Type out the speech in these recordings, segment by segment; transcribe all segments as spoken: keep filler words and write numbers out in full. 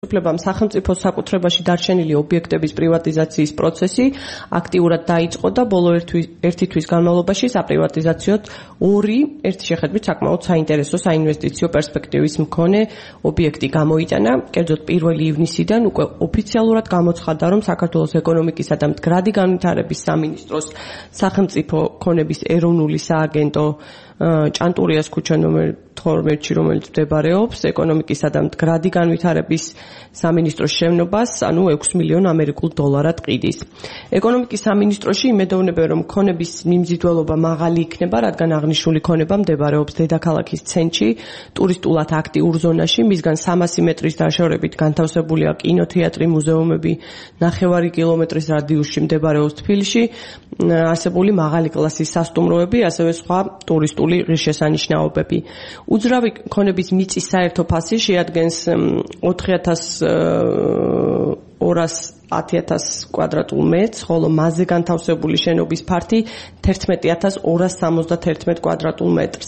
უფლებამ სახელმწიფო საკუთრებაში დარჩენილი ობიექტების პრივატიზაციის პროცესი აქტიურად დაიწყო და ბოლო ერთი თვის განმავლობაში საპრივატიზაციოდ ორი ერთი შეხედვით საკმაოდ საინტერესო საინვესტიციო პერსპექტივის მქონე ობიექტი გამოიტანა. კერძოდ პირველი ივნისიდან უკვე ოფიციალურად გამოცხადდა, რომ საქართველოს ეკონომიკისა და მდგრადი განვითარების სამინისტროს სახელმწიფო ქონების ეროვნული სააგენტო ჭანტურიას ქუჩა ნომერ თორმეტში, რომელიც მდებარეობს ეკონომიკისა და მდგრადი განვითარების სამინისტროს შევნობას, ანუ ექვსი მილიონი ამერიკულ დოლარად ყიდის. ეკონომიკის სამინისტროში იმედოვნებენ, რომ ქონების მიმზიდველობა მაღალი იქნება, რადგან აღნიშნული ქონება მდებარეობს დედაქალაქის ცენტრში, ტურისტულად აქტიურ ზონაში, მისგან სამასი მეტრის დაშორებით განთავსებულია კინოთეატრი, მუზეუმები, ნახევარი კილომეტრის რადიუსში მდებარეობს თბილისში არსებული მაღალი კლასის სასტუმროები, ასევე სხვა ტურისტული ღირსშესანიშნაობები. უძრავი ქონების მიწის საერთო ფასი შეადგენს ოთხი ათას ორას ათი ათას კვადრატულ მეტრს, ხოლო მასზე განთავსებული შენობის ფართი თერთმეტი ათას ორას სამოცდათერთმეტ კვადრატულ მეტრს.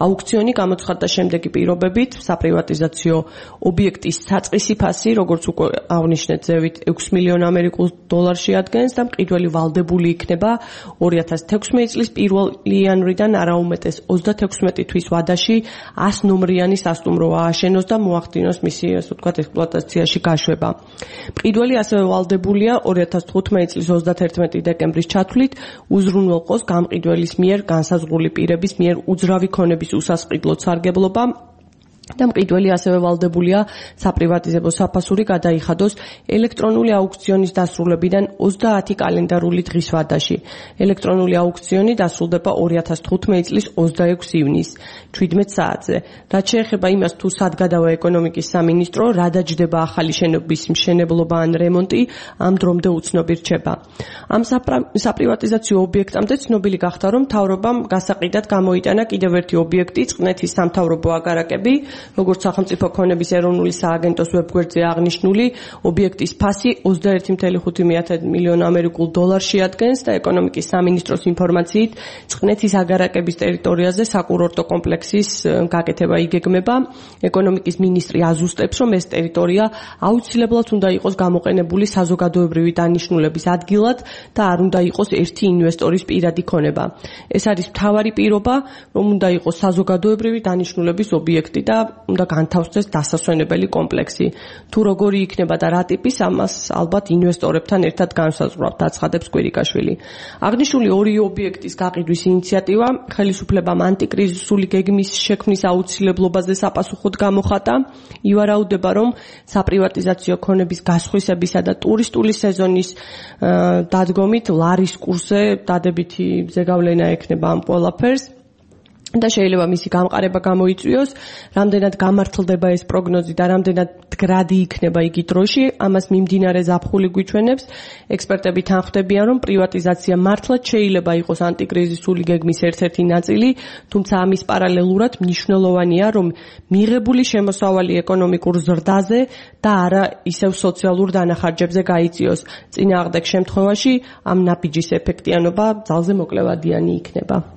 აუქციონი გამოცხადდა შემდეგი პირობებით: საპრივატიზაციო ობიექტის საწყისი ფასი, როგორც უკვე აღნიშნეთ, ზევით ექვსი მილიონი ამერიკულ დოლარს შეადგენს და მყიდველი ვალდებული იქნება ორი ათას თექვსმეტი წლის პირველი იანვრიდან არაუმეტეს ოცდათექვსმეტი თვის ვადაში ას ნომრიანი სასტუმრო ააშენოს და მოახდინოს მისი, ასე ვთქვათ, ექსპლუატაციაში გაშვება. მყიდველი ასევე ვალდებულია ორი ათას თხუთმეტი წლის ოცდათერთმეტი დეკემბრის ჩათვლით უზრუნველყოს გამყიდველის მიერ განსაზღვრული პირების მიერ უძრავი ქონების უსასყიდლოდ სარგებლობა და მყიდველი ასევე ვალდებულია საპრივატიზებო საფასური გადაიხადოს ელექტრონული აუქციონის დასრულებიდან ოცდაათი კალენდარული დღის ვადაში. ელექტრონული აუქციონი დასრულდება ორი ათას თხუთმეტი წლის ოცდაექვსი ივნისს ჩვიდმეტ საათზე. რაც შეეხება იმას, თუ სად გადავა ეკონომიკის სამინისტრო, რა დაჯდება ახალი შენობის მშენებლობა ან რემონტი, ამ დრომდე უცნობი რჩება. ამ საპრივატიზაციო ობიექტამდე ცნობილი გახდა, რომ მთავრობამ გასაყიდად გამოიტანა კიდევ ერთი ობიექტი, წყნეთის სამთავრობო აგარაკები, როგორც სახელმწიფო ქონების ეროვნული სააგენტოს ვებგვერდზე აღნიშნული, ობიექტის ფასი ოცდაერთი მილიონი ხუთმეტ მილიონი ამერიკულ დოლარს შეადგენს და ეკონომიკის სამინისტროს ინფორმაციით წყნეთის აგარაკების ტერიტორიაზე საკურორტო კომპლექსის გაკეთება იგეგმება. ეკონომიკის მინისტრი აზუსტებს, რომ ეს ტერიტორია აუცილებლად უნდა იყოს გამოყენებული საზოგადოებრივი დანიშნულების ადგილად და არ უნდა იყოს ერთი ინვესტორის პირადი ქონება. ეს არის მთავარი პირობა, რომ უნდა იყოს საზოგადოებრივი დანიშნულების ობიექტი და უნდა განთავსდეს დასასვენებელი კომპლექსი. თუ როგორი იქნება და რა ტიპის, ამას ალბათ ინვესტორებთან ერთად განსაზღვრავთ, აცხადებს კვირიკაშვილი. აღნიშნული ორი ობიექტის გაყიდვის ინიციატივა ხელისუფლებამ ანტიკრიზისული გეგმის შექმნის აუცილებლობაზე საპასუხოდ გამოხატა. ივარაუდება, რომ საპრივატიზაციო ქონების გასხვისებისა და ტურისტული სეზონის დადგომით ლარის კურსზე დადებითი ზეგავლენა ექნება ამ ყველაფერს და შეიძლება მისი გამყარება გამოიწვიოს. რამდენად გამართლდება ეს პროგნოზი და რამდენად მდგრადი იქნება იგი დროში, ამას მიმდინარე ზაფხული გვიჩვენებს. ექსპერტები თანხმდებიან, რომ პრივატიზაცია მართლაც შეიძლება იყოს ანტიკრიზისული გეგმის ერთ-ერთი ნაწილი, თუმცა ამის პარალელურად მნიშვნელოვანია, რომ მიღებული შემოსავალი ეკონომიკურ ზრდაზე და არა ისევ სოციალურ დანახარჯებზე გაიწიოს. წინააღმდეგ შემთხვევაში ამ ნაბიჯის ეფექტიანობა ძალზე მოკლევადიანი იქნება.